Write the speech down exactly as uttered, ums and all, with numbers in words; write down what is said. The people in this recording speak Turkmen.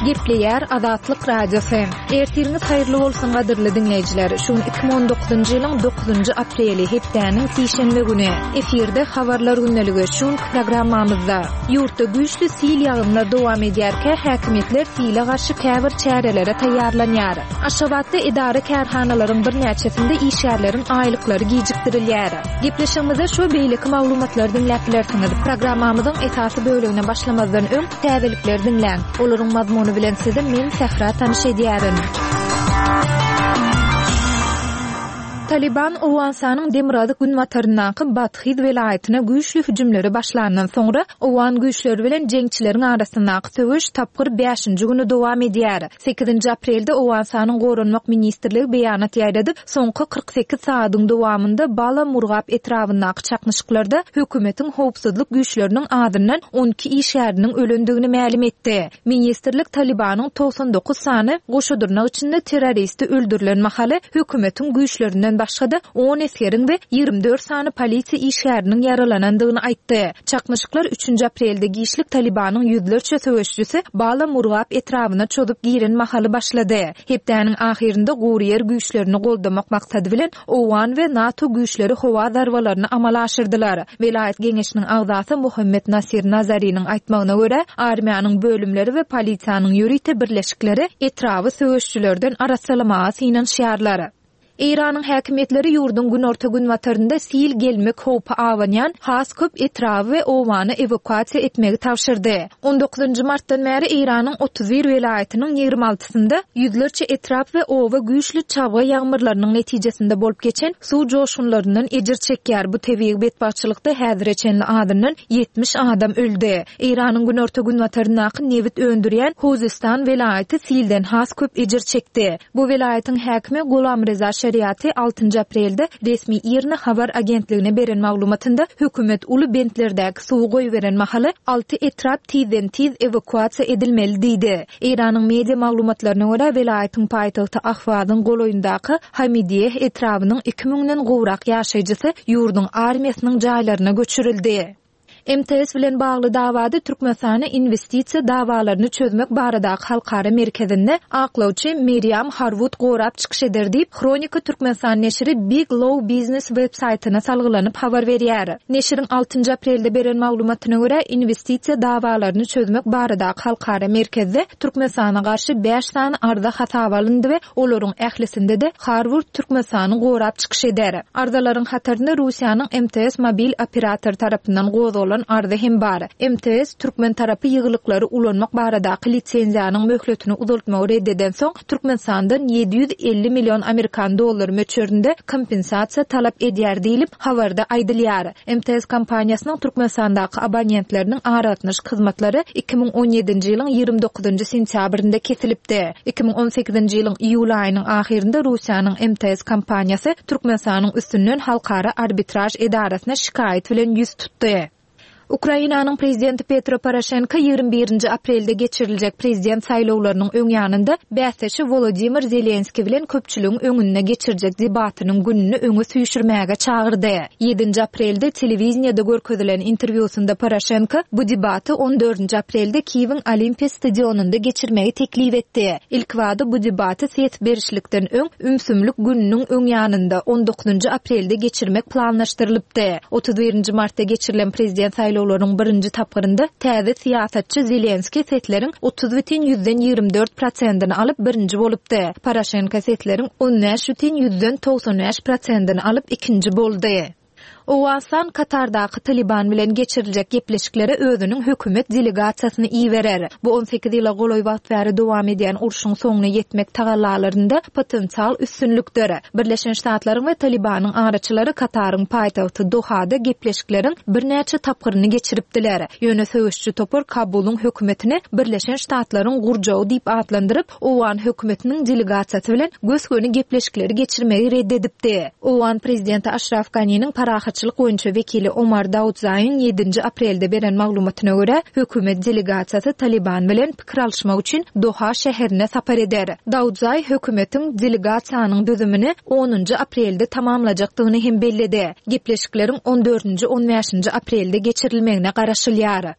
Gepleýär Azatlyk Radiosy. Ertiriňiz haýyrly bolsun gadyrly diňleýjiler. Şu gün iki müň on dokuzynjy ýylyň dokuzynjy apreli, hepdäniň sişenbe güni. Efirde habarlar gündeligi. Şu günki programmamyzda ýurtda güýçli sil ýagynlar dowam edýärkä, häkimiýetler sile garşy käbir çärelere taýýarlanýar. Aşgabatda edara-kärhanalaryň birnäçesinde işgärleriň aýlyklary gijikdirilýär. Gepleşigimizde şu beýleki maglumatlary diňläp bilersiňiz. Programmamyzyň esasy bölegine başlamazdan öň täzelikleri diňläň. Olaryň mazmuny bilen sizi men Sähra tanyş edýärin. Taliban Owganystanyň demirgazyk günbataryndaky Badhyz welaýatyna güýçli hüjümleri başlandan soňra owgan güýçleri bilen jeňçileriň arasyndaky söweş tapgyr bäşinji güni dowam edýär. Sekizinji aprelde Owganystanyň Goranmak ministrligi beýanat ýaýradyp, soňky kyrk sekiz sagadyň dowamynda Bala Murgap etrabyndaky çaknyşyklarda hökümetiň howpsuzlyk güýçleriniň azyndan on iki işgäriniň ölendigini mälim etdi. Ministrlik Talibanyň togsan dokuz sany goşadyrnak içinde terroristi öldürilen mahaly hökümetiň güýçlerinden başga-da on esgeriň we ýigrimi dört sany polisiýa işgäriniň ýaralanandygyny aýtdy. Çaknyşyklar üçünji aprelde giçlik Talibanyň ýüzlerçe söweşçisi Bala Murgap etrabyna çozup giren mahaly başlady. Hepdäniň ahyrynda gury ýer güýçlerini goldamak maksady bilen Owgan we NATO güýçleri howa zarbalaryny amala aşyrdylar. Welaýat geňeşiniň agzasy Muhammet Nasir Nazariniň aýtmagyna görä, armiýanyň bölümleri we polisiýanyň ýörite birleşikleri etraby söweşçilerden arassalamaga synanyşýarlar. Eýranyň häkimiýetleri ýurduň günorta-günbatarynda sil gelmek howpy abanýan has köp etraby we obany ewakuasiýa etmegi tabşyrdy. On dokuzynjy martdan bäri Eýranyň otuz bir welaýatynyň ýigrimi altysynda ýüzlerçe etrap we oba güýçli çabga ýagmyrlarynyň netijesinde bolup geçen suw joşgunlaryndan ejir çekýär. Bu tebigy betbagtçylykda häzire çenli azyndan ýetmiş adam öldi. Eýranyň günorta-günbataryndaky nebit öndürýän Huzistan welaýaty silden has köp ejir çekdi. Bu welaýatyň häkimi Gulamreza Şeriati altynjy aprelde resmi IRNA habar agentligine beren maglumatynda hökümet uly bentlerdäki suwy goýberen mahaly alty etrap tizden-tiz ewakuasiýa edilmeli diýdi. Eýranyň media maglumatlaryna görä welaýatyň paýtagty Ahwazyň golaýyndaky Hamidiýeh etrabynyň iki müňden gowrak ýaşaýjysy ýurduň armiýasynyň jaýlaryna göçürildi. M T S bilen bagly dawada Türkmenistana investisiýa dawalaryny çözmek baradaky halkara merkezinde aklawçy Miriam Harwood gorap çykyş eder diýip, Hronika Türkmenistan neşiri Big Law Business web saýtyna salgylanyp habar berýär. Neşiriň altynjy aprelde beren maglumatyna görä, investisiýa dawalaryny çözmek baradaky halkara merkezde Türkmenistana garşy bäş sany arza hasaba alyndy we olaryň ählisinde-de Harwood Türkmenistany gorap çykyş eder. Arzalaryň hatarynda Russiýanyň M T S mobil operator tarapyndan gozgalan arza hem bar. M T S Türkmen tarapy ýygylyklary ulanmak baradaky lisenziýanyň möhletini uzaltmagy red eden soň Türkmenistandan ýedi ýüz elli million amerikan dollary möçberinde kompensasiýa talap edýär diýlip habarda aýdylýar. M T S kompaniýasynyň Türkmenistandaky abonentleriniň aragatnaşyk hyzmatlary iki müň on ýedinji ýylyň ýigrimi dokuzynjy sentýabrynda kesilipdi. Iki müň on sekizinji ýylyň iýul aýynyň ahyrynda Russiýanyň M T S kompaniýasy Türkmenistanyň üstünden halkara arbitraž edarasyna şikaýat bilen ýüz tutdy. Ukrainanyň prezidenti Petro Poroşenko ýigrimi birinji aprelde geçiriljek prezident saýlawlarynyň öň ýanynda bäsdeşi Wolodimir Zelenski bilen köpçüligiň öňünde geçirjek debatynyň gününi öňe süýşürmäge çagyrdy. Ýedinji aprelde telewiziyada görkezilen interwýusynda Poroşenko bu debaty on dördünji aprelde Kiýewiň Olimpiýa stadionynda geçirmegi teklip etdi. Ilk wada bu debaty ses berişlikden öň ümsümlik gününiň öň ýanynda on dokuzynjy aprelde geçirmek planlaşdyrylypdy. Otuz birinji martda geçirilen prezident saýlawlarynyň birinji tapgyrynda täze syýasatçy Zelenski sesleriň otuz bütin ýüzden ýigrimi dört prosentini alyp birinji bolupdy. Poroşenko sesleriň on bäş bütin ýüzden togsan bäş prosentini alyp ikinji boldy. Owganystan Katardaky Taliban bilen geçiriljek gepleşiklere özüniň hökümet delegasiýasyny iberer. Bu on sekiz ýyla golaý wagt bäri dowam edýän urşuň soňuna ýetmek tagallalarynda potensial üstünlikdir. Birleşen Ştatlaryň we Talibanyň araçylary Kataryň paýtagty Dohada gepleşikleriň birnäçe tapgyryny geçiripdiler. Ýöne söweşçi topar Kabulyň hökümetini Birleşen Ştatlaryň gurjagy diýip atlandyryp, Owgan hökümetiniň delegasiýasy bilen gös-göni gepleşikleri geçirmegi red edipdi. Owgan prezidenti Aşraf Ganiniň parahatçylyk boýunça wekili Omar Daudzaýyň ýedinji aprelde beren maglumatyna görä, hökümet delegasiýasy Taliban bilen pikir alyşmak üçin Doha şäherine sapar eder. Daudzaý hökümetiň delegasiýanyň düzümini onunjy aprelde tamamlajakdygyny hem belledi. Gepleşikleriň on dördünji, on bäşinji aprelde geçirilmegine garaşylýar.